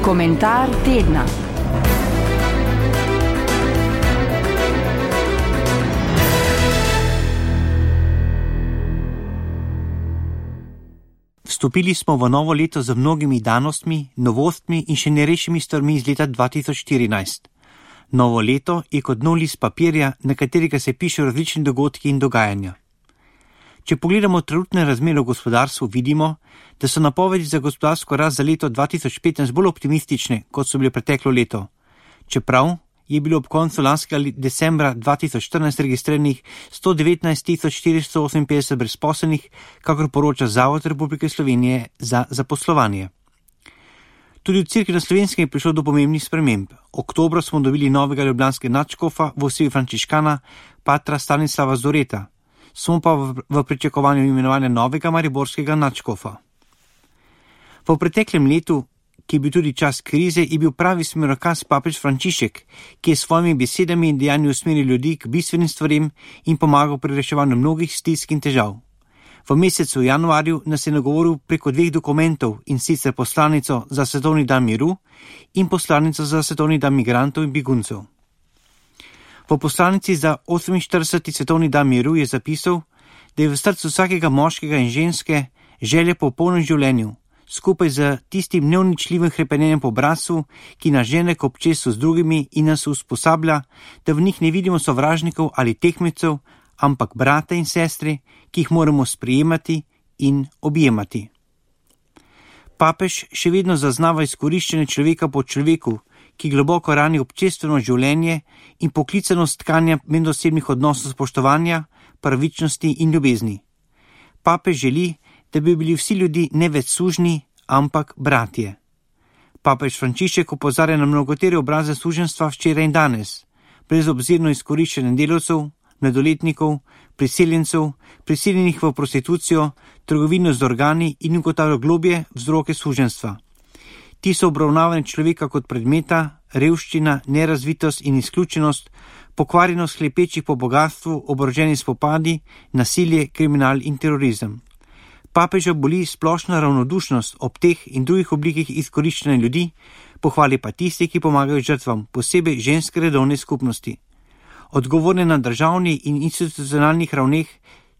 Komentar tedna. Vstopili smo v novo leto z mnogimi danostmi, novostmi in še nerešenimi stvarmi iz leta 2014. Novo leto je kot nov list papirja, na katerega se pišejo različni dogodki in dogajanja. Če pogledamo trenutne razmere v gospodarstvu, vidimo, da so napovedi za gospodarsko rast za leto 2015 bolj optimistične, kot so bile preteklo leto. Čeprav je bilo ob koncu lanskega decembra 2014 registriranih 119.458 brezposelnih, kakor poroča Zavod Republike Slovenije za zaposlovanje. Tudi v Cerkvi na Slovenskem je prišlo do pomembnih sprememb. Oktobra smo dobili novega ljubljanskega nadškofa v osebi frančiškana patra Stanislava Zoreta. Smo pa v pričakovanju imenovanja novega mariborskega nadškofa. V preteklem letu, ki je bil tudi čas krize, je bil pravi smerokaz papež Frančišek, ki je s svojimi besedami in dejanji usmeril ljudi k bistvenim stvarem in pomagal pri reševanju mnogih stisk in težav. V mesecu januarju nas je nagovoril preko 2 dokumentov, in sicer poslanico za svetovni dan miru in poslanico za svetovni dan migrantov in beguncev. V poslanici za 48. svetovni dan miru je zapisal, da je v srcu vsakega moškega in ženske želja po polnem življenju, skupaj z tistim neuničljivim hrepenenjem po bratstvu, ki nas žene k občestvu z drugimi in nas usposablja, da v njih ne vidimo sovražnikov ali tekmecev, ampak brate in sestre, ki jih moramo sprejemati in objemati. Papež še vedno zaznava izkoriščenje človeka po človeku, ki globoko rani občestveno življenje in poklicanost tkanja medosebnih odnosov spoštovanja, pravičnosti in ljubezni. Papež želi, da bi bili vsi ljudi ne več sužnji, ampak bratje. Papež Frančišek opozarja na mnogotere obraze suženjstva včeraj in danes, brezobzirno izkoriščenje delavcev, mladoletnikov, priseljencev, prisiljenih v prostitucijo, trgovino z organi in ugotavlja globje vzroke suženjstva. Ti so obravnavani človeka kot predmeta, revščina, nerazvitost in izključenost, pokvarjenost hlepečih po bogatstvu, oboroženi spopadi, nasilje, kriminal in terorizem. Papeža boli splošna ravnodušnost ob teh in drugih oblikah izkoriščanja ljudi, pohvali pa tisti, ki pomagajo žrtvam, posebej ženske redovne skupnosti. Odgovorne na državni in institucionalnih ravneh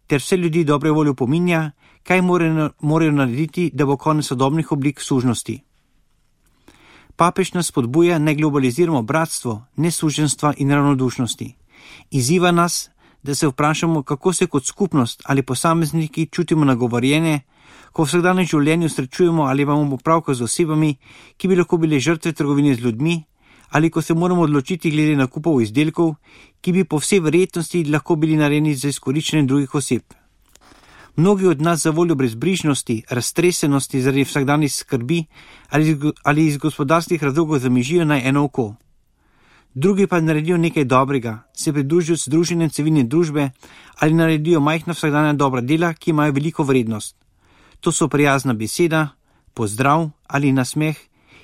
ter vse ljudi dobre volje opominja, kaj morajo narediti, da bo konec sodobnih oblik sužnosti. Papež nas spodbuja, ne globaliziramo bratstvo, nesuženjstva in ravnodušnosti. Izziva nas, da se vprašamo, kako se kot skupnost ali posamezniki čutimo nagovorjene, ko v vsakdanjem življenju srečujemo ali imamo opravka z osebami, ki bi lahko bile žrtve trgovine z ljudmi, ali ko se moramo odločiti glede nakupov izdelkov, ki bi po vsej verjetnosti lahko bili narejeni za izkoriščenje drugih oseb. Mnogi od nas za voljo brezbrižnosti, raztresenosti zaradi vsakdanjih skrbi ali iz gospodarskih razlogov zamižijo na eno oko. Drugi pa naredijo nekaj dobrega, se pridružijo združenjem civilne družbe ali naredijo majhna vsakdanja dobra dela, ki imajo veliko vrednost. To so prijazna beseda, pozdrav ali nasmeh,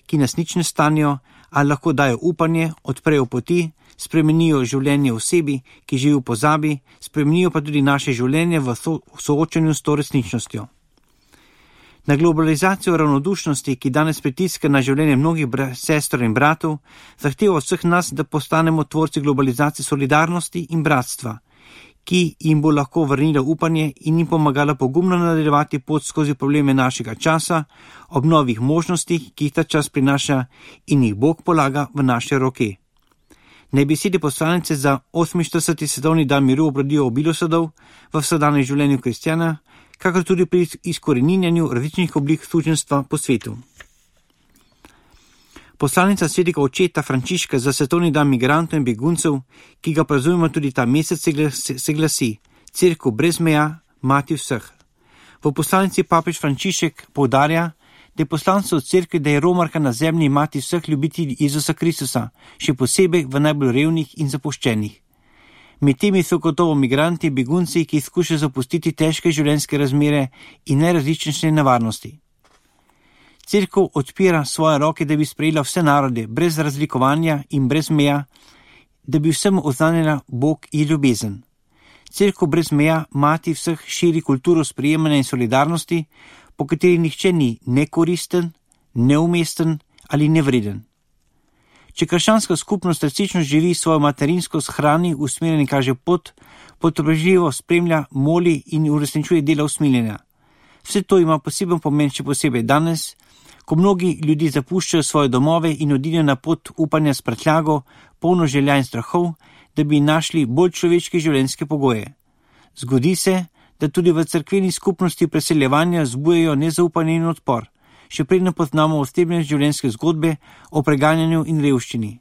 ki nas nič ne stanijo, ali lahko dajo upanje, odprejo poti, spremenijo življenje osebi, ki živi v pozabi, spremenijo pa tudi naše življenje v soočanju s to resničnostjo. Na globalizacijo ravnodušnosti, ki danes pritiska na življenje mnogih sester in bratov, zahteva vseh nas, da postanemo tvorci globalizacije solidarnosti in bratstva, ki jim bo lahko vrnila upanje in jim pomagala pogumno nadaljevati pot skozi probleme našega časa, ob novih možnostih, ki jih ta čas prinaša in jih Bog polaga v naše roke. Naj besede poslanice za 48. svetovni dan miru obrodijo obilo sadov v vsakdanjem življenju kristjana, kakor tudi pri izkoreninjanju različnih oblik suženjstva po svetu. Poslanica svetega očeta Frančiška za svetovni dan migrantov in beguncev, ki ga praznujemo tudi ta mesec, se glasi: Cerkev brez meja, mati vseh. V poslanici papež Frančišek poudarja, da je poslanstvo cerkve, da je romarka na zemlji mati vseh ljubitelj Jezusa Kristusa, še posebej v najbolj revnih in zapuščenih. Med temi so gotovo migranti, begunci, ki skušajo zapustiti težke življenjske razmere in najrazličnejše nevarnosti. Cerkev odpira svoje roke, da bi sprejela vse narode, brez razlikovanja in brez meja, da bi vsem oznanila Bog in ljubezen. Cerkev brez meja, mati vseh, širi kulturo sprejemanja in solidarnosti, po kateri nihče ni nekoristen, neumesten ali nevreden. Če krščanska skupnost resnično živi svojo materinsko shrani, usmerjeni kaže pot, potrpežljivo spremlja, moli in uresničuje dela usmiljenja. Vse to ima poseben pomen, še posebej danes, ko mnogi ljudi zapuščajo svoje domove in odidejo na pot upanja s prtljago, polno želja in strahov, da bi našli bolj človeške življenjske pogoje. Zgodi se, da tudi v cerkveni skupnosti preseljevanja zbujajo nezaupanje in odpor, še predno poznamo osebne življenjske zgodbe o preganjanju in revščini.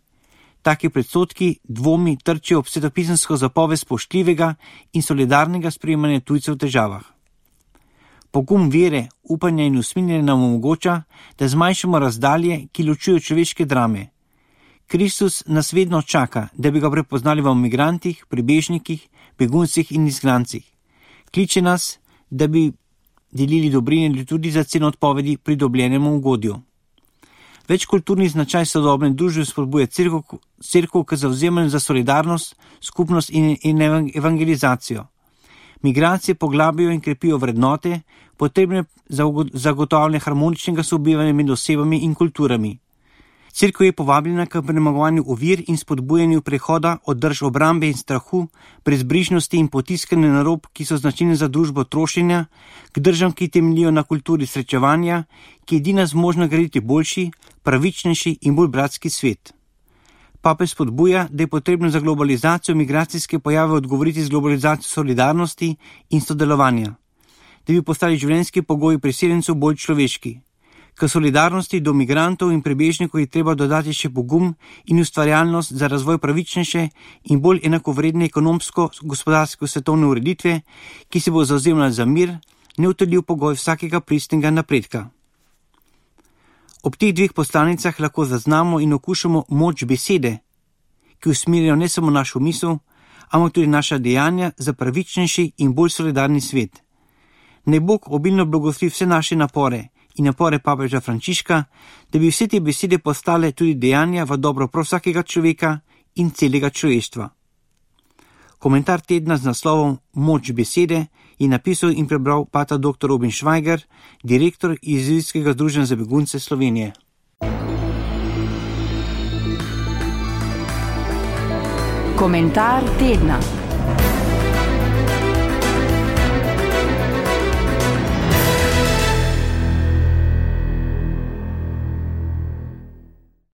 Taki predsodki, dvomi trčijo ob svetopisemsko zapoved spoštljivega in solidarnega sprejemanja tujcev v težavah. Pogum vere, upanja in usmiljenja nam omogoča, da zmanjšamo razdalje, ki ločujejo človeške drame. Kristus nas vedno čaka, da bi ga prepoznali v migrantih, pribežnikih, beguncih in izgnancih. Kliče nas, da bi delili dobrine tudi za ceno odpovedi pridobljenemu ugodju. Večkulturni značaj sodobne družbe spodbuja cerkev k zavzemanju za solidarnost, skupnost in evangelizacijo. Migracije poglabijo in krepijo vrednote, potrebne za zagotavljanje harmoničnega sobivanja med osebami in kulturami. Cerkev je povabljena k premagovanju ovir in spodbujanju prehoda od drž obrambe in strahu, brezbrižnosti in potiskanja na rob, ki so značilne za družbo trošenja, k državam, ki temeljijo na kulturi srečevanja, ki je edina zmožna graditi boljši, pravičnejši in bolj bratski svet. Papež spodbuja, da je potrebno za globalizacijo migracijske pojave odgovoriti z globalizacijo solidarnosti in sodelovanja, da bi postali življenjski pogoji priseljencev bolj človeški. K solidarnosti do migrantov in prebežnikov je treba dodati še pogum in ustvarjalnost za razvoj pravičnejše in bolj enakovredne ekonomsko-gospodarske svetovne ureditve, ki se bo zavzemala za mir, neodtujljiv pogoj vsakega pristnega napredka. Ob teh dveh poslanicah lahko zaznamo in okušamo moč besede, ki usmerjajo ne samo našo misel, ampak tudi naša dejanja za pravičnejši in bolj solidarni svet. Naj Bog obilno blagoslovi vse naše napore in napore papeža Frančiška, da bi vse te besede postale tudi dejanja v dobro prav vsakega človeka in celega človeštva. Komentar tedna z naslovom Moč besede je napisal in prebral pater dr. Robin Švajger, direktor Jezuitskega združenja za begunce Slovenije. Komentar tedna.